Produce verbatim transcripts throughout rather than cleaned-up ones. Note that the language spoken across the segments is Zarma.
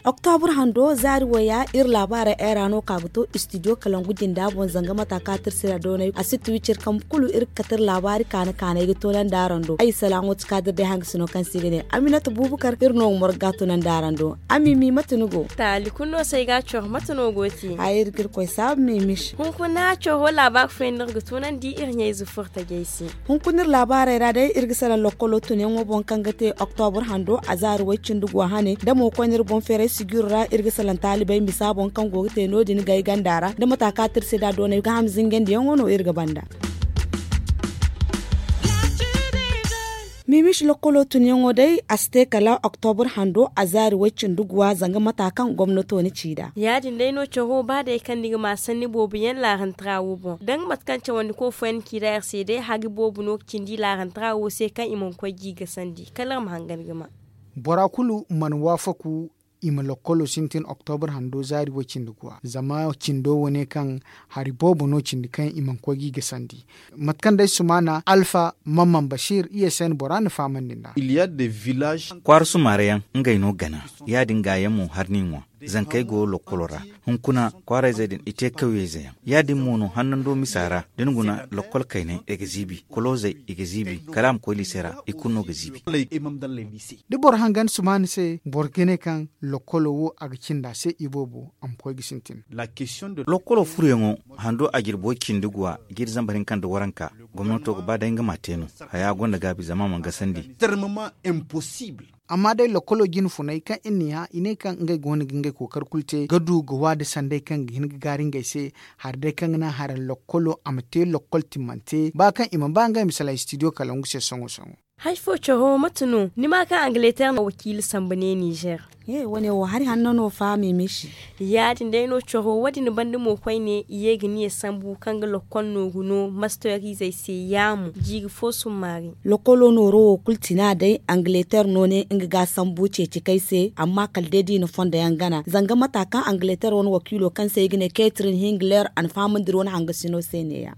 Oktobur hando zaari waya iri laabaarey ay ra no ka ga to istidiyo kalangu jinda boŋ zanga mata ka tirsi ra doonay a si tuwi ciri kambe kulu iri ga kate iri laabaari kaana kaanay ga toonandi araŋ do ay salaŋo ti kaadir day hangasino kaŋ se i ga ne aminata buubukar iri no ga morgu ga toonandi araŋ do. Ami mi mate ni go? Taali kulu no se ay ga a coro mate no go te? Ay iri ga iri koy saabu mi mis. Hunkuna coro laabaari fooyaŋ no iri ga toonandi iri ɲayze furtajey se. Hunkuna iri laabaarey ra day iri ga salaŋ lokkolo tunyaŋo boŋ kaŋ ga te oktobur hando a zaari way cindi go hane da mo koyne iri boŋ feeray sijiro ra iri ga salaŋ taalibey misa boŋ kaŋ go ga te no- din gay ganda ra da mata kaŋ a te iri se da doonay gaaham zingandiyaŋo no iri ga banda. Mimis lokkolo tunyaŋo day a si te kala oktobur hando a zaari way cindi guwa zanga mata kaŋ gomnato na ci nd'a. Ya- din day no caro ba day kaŋ ni ga ma sanni boobo yaŋ laarantara wo boŋ da nga mate kaŋ cawandiko fooyaŋ na ci nd'a iri se day hari boobo no ga cindi laarantara wo se kaŋ i mana koy ga i gasandi kala iri ma hangan ga ma. Bora kulu mana waafaku i ma lokkolo sintin oktobur hando zaari way cindi guwa zama cindo wo ne kaŋ hari boobo no cindi kaŋ i mana koy ga i gasandi. Mate kaŋ day sumaana alfa mamman basiir i s n bora na fahamandi nd'a. Kwaara sumaara yaŋ ngey no gana ya- din ga yaŋ mo hari n'i ŋwa. Zankey go lokkolo ra hunkuna kwaarayzey din i te kawyeyze yaŋ ya- din mo no hannando misa ra da ni guna lokkol kaynay i ga ziibi koloozey i ga ziibi kala a ma koy liise ra i kulu no ga ziibi. Da boro hangan sumaana se boro ga ne kaŋ lokkolo wo a ga cindi a se iboobo a ma koy ga sintin. Lokkolo furoyaŋo hando a jirbo cindi guwa jiiri zambar hinka nda waranka gomnato ga ba day nga ma a te no. Haya gonda gaabi zama a mana gasandi. Amma day lokkolo jine funay kaŋ iri n'i hã i ne kaŋ ngey go no ga ngey kookari kulu te ga du ga waada sanday kaŋ ga hin ga gaari ngey se. Hari day kaŋ ga naŋ hara lokkolo a ma te lokkol timmante ba kaŋ i mana ba ngey ma salaŋ istidiyo kalangu se sohõ sohõ. Hari fo coro mate no ni ma kaŋ angileter na wakiila sambu ne nizer? He wane wo hari hanno no fahamey ma i se. Ya- din day no coro wo- din banda mo koyne i ye ga niya sambu kaŋ ga lokkol nooru no masterizey se yaamo jiiri fo summaari. Lokkolo nooro wo kulu tina day angileter no ne nga ga a sambu ceeci kay se amma kala day da i na fondo yaŋ gana zanga mata kaŋ angileter wane wakiilo kaŋ se i ga ne ketrin hingler a na fahamandi iri wane hangasino se ne- ya.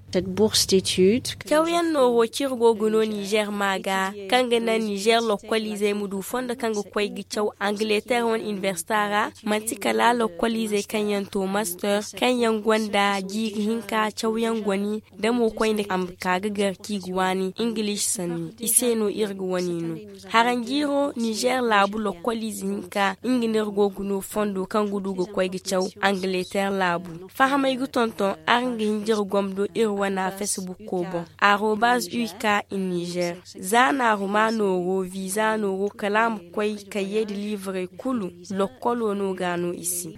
Cawyaŋ nooro kaŋ iri go ga no nizer ma ga kaŋ ga naŋ nizer lokkoliizey ma du fondo kaŋ ga koy ga caw angileter wane inibersita ra. Manti kala lokkoliizey kaŋ yaŋ to master kaŋ yaŋ gonda jiiri hinka cawyaŋ goni da mo koyne a ma ka ga gar kaŋ i ga waani ingiliisi sanni i se no iri ga wane no. Haranjiiro nizer laabu lokkoliize hinka nga no iri go ga no fondo kaŋ ga du ga koy ga caw angileter laabu. Fahamey ga tonton araŋ ga hin da iri gomdo iri wana fesibukko boŋ arobaz u k i nizer. Za naaru ma nooro viza nooro kala a ma koy kayyey nda liivarey kulu. Lokkolo no ga no i se.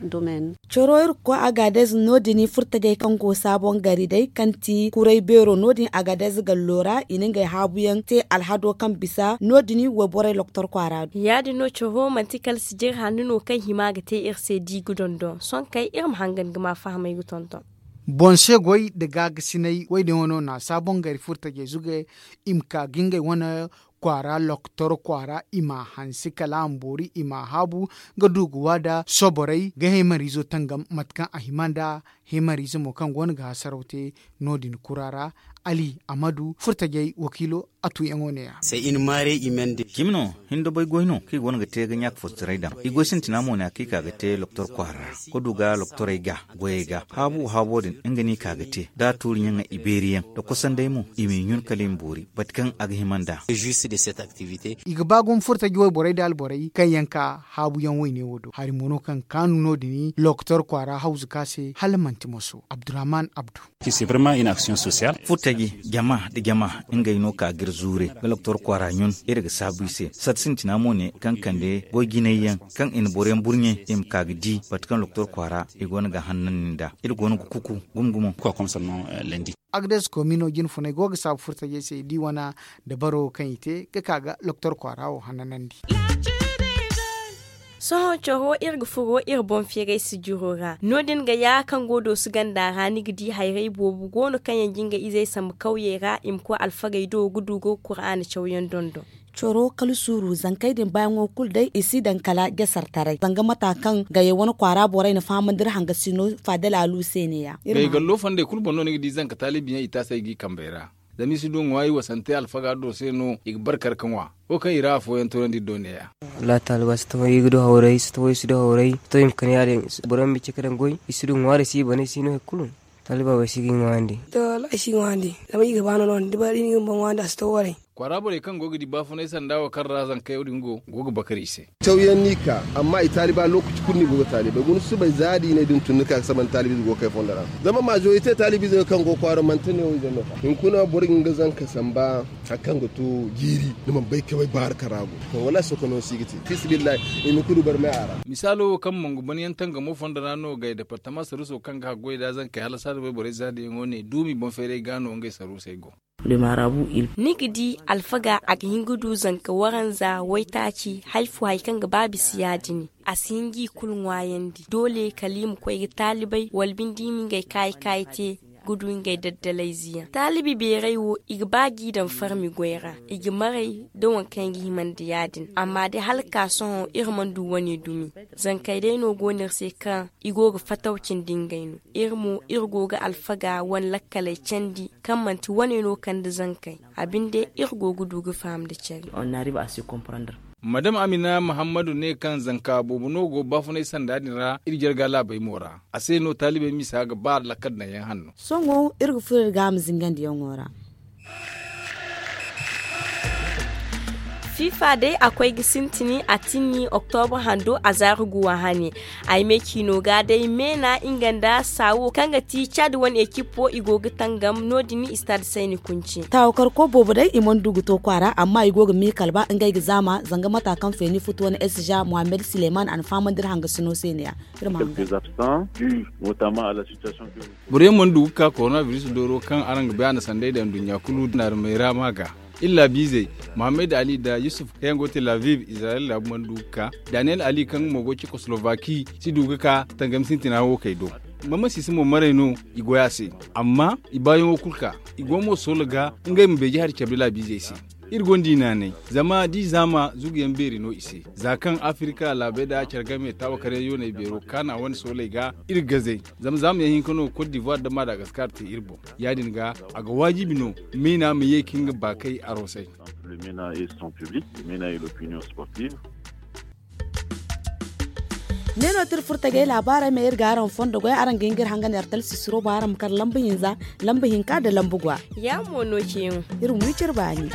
Coro iri ga koy agadez no- din furtajey kaŋ go saabon gari day kaŋ ti kuray beero no- din agadez gallo ra i na ngey haabuyaŋ te alhado kaŋ bisa no- din wayborey loktor kwaara do. Ya- din no coro manti kala sijir hanno no kaŋ hima ga te iri se da i ga dondon sohõ kay iri ma hangan ga ma fahamey ga tonton. Boŋ se goy nda gaagasinay wo- din wano na saabon gari furtajey zuge i ma ka ga ngey wane kwaara loktor kwaara i ma a hanse kala a ma boori i ma a haabu ga du ga waada soborey ga heemariizo tangam mate kaŋ a hima nd'a. Heemariize mo kaŋ go no ga hasaraw te no- din kura ra ali amadu furtajey wakiilo a tuuyaŋo ne- ya. Cimi no hindobay goy no kaŋ i go no ga te ga ɲaaka fostaray daŋ i goy sintina mo ne a kaŋ i ka ga te loktor kwaara ra ga du ga loktorey ga goyey ga haabu haabo din nga no i ka ga te da a tuuriyaŋ ibeeriyaŋ da kosandey mo i m'i ɲun kala i ma boori bate kaŋ a ga hima nd'a. I ga ba gumo furtaji wayborey nda alborey kaŋ yaŋ ka haabuyaŋ wayne wo do hari mo no kaŋ kaanu no- din loktor kwaara hawzu ka se hala manti moso abdurrahman abdu. Furtaji jama nda jama ngey no ka ga iri zuure ga loktor kwaara ɲun iri ga saabu i se sata sintina mo ne kaŋ kande goy jinay yaŋ kaŋ i na boroyaŋ burɲe i ma ka ga di bate kaŋ loktor kwaara i go no ga a hanandi nd'a iri go no ga kuku gumo gumo. Agdes komino jine funay go ga saabu furtajey se di wana dabaro kaŋ i te ga ka ga loktor kwaara wo hananandi. Sohõ caro iri ga furo iri boŋ feeray sijiro ra no- din ga ya kaŋ go dooso ganda ra ni ga di hayray boobo go no kaŋ yaŋ ga nga izey sambu kawyey ra i ma koy alfagey do ga du ga kuraana cawyaŋ dondon. Coro kala suuru zankey din baayaŋo kulu day i si daŋ kala jasartaray zanga mata kaŋ gayey wane kwaara borey na fahamandi iri hangasino faadal alu se ne- ya. Gayey gallo fondey kulu boŋ no ni ga di zanka taalibi yaŋ i taasay g'i kambey ra. Zama i si du ŋwa i wasante alfaga do se no i ga barkar ka ŋwa. Wo kaŋ i ra afooyaŋ toonandi iri do ne- ya. Wallahi taaliba si taho i ga du hawray si taho i si du hawray si taho i ma kande ya- din. Boro yaŋ ma i ce ka daŋ goy i si du ŋwaari si i bana i si no hari kulu. Taaliba wo ay si ga i ŋwaayandi. To wallahi ay si i ŋwaayandi. Zama i ga ba no no- din da ba iri na i bumbo ŋwaayandi a si to waray. Kwaara borey kaŋ go ga di baafunay sanda wo kaŋ ra zankey wo- din go go ga bakar i se. Cawyaŋ no i ka amma i taaliba lookaci kulu no i go ga taalibey guna subay za da i ne da ni tun ni ka ga saba nda taalibiize go ga kay fondo ra. Zama maazorite taalibiize no kaŋ go kwaaro manti ne wo ize no. Hunkuna boro ga nga zanka samba hari kaŋ ga to jiiri ni mana bay ka bay baari kaŋ ra a go. To wallahi sohõ no si ga te fiisabilillahi. I ma kulu barmay a ra. Misaalo wo kaŋ mangu ban yaŋ tangamo fondo ra no gay departama saruuso kaŋ ga haggoy da zankey hala saada wayborey zaadiyaŋo ne duumi boŋ feeray ga no ngey saruusey go. Ni ga di alfaga a ga hin ga du zanka waranza waytaaci hari fo hari kaŋ ga ba bisa ya- din. A si hin ga i kulu ŋwaayandi doole kala i ma koy ga taalibey wala binde i ma ngey kaayi kaayi te ga du ngey daddalayze yaŋ taalibi beeray wo i ga ba g'i daŋ farmi goy ra. I ga maray da waŋ kaŋ i ga himandi ya- din amma day hala ga ka sohõ iri mana du wane dumi. Zankey day no go no iri se kaŋ i go ga fataw cindi ngey no. Iri mo iri go ga alfaga wane lakkaley candi kaŋ manti wane no kande zankey. A binde iri go ga du ga faham nda care. Madam amina muhammadu ne kaŋ zanka boobo no go baafunay sanda din ra iri jarga laabey mo ra. A se no taalibey misa ga ba lakkal daŋ yaŋ hanno. Sohõ iri ga furo iri ga a ma zingandiyaŋo ra. Fifa day a koy ga sintin a tinni oktobra hando a zaari guwa hane. Ay me ciino ga day meena nga nda saawo kaŋ ga ti cad wane ekip wo i go ga tangam no- din istad sayni kunci. Taawakarko boobo day i mana du ga to kwaara amma i go ga me kalba ngey ga zaama zanga mata kaŋ feeni futu wane esija muhammad sileyman a na fahamandi iri hangasino se ne- ya. Iri ma hanga. Boro yaŋ mana du ga ka koronabiris dooro kaŋ araŋ ga bay a na sanday daŋ nduɲɲa kulu naarumey ra ma ga. Iri laabiizey muhammad ali nda yusuf kaŋ yaŋ go tel aviv izirayel laabu mana du ga ka. Daniyel ali kaŋ nga mo go cekoslovaki si du ga ka tangam sintina wo kay do. Mama sisi mo maray no i goy a se. Amma i baayaŋo kulu ka i go mo soola ga ngey ma beeji hari cabe laabiizey se. Iri gonda i naanay zama da i zaama zuguyaŋ beeri no i se. Za kaŋ afirika laabey nda care game taawakaryaŋ yooney beero kaana wane sooley ga iri ga gazey. Zama zaamayaŋ hinka no kot divuwar nda madagaskar te iri boŋ. Ya- din ga a ga waajibi no meena ma ye ka nga baakey arosay. Ne no tira furtagey laabaarey ma iri ga araŋ fondo goy araŋ ga hin ga iri hangan iri talsi suro boŋ araŋ ma kar lamba hinza lamba hinka nda lamba gwa. Ya mo no ceeyaŋo. Iri ma wi cire baani.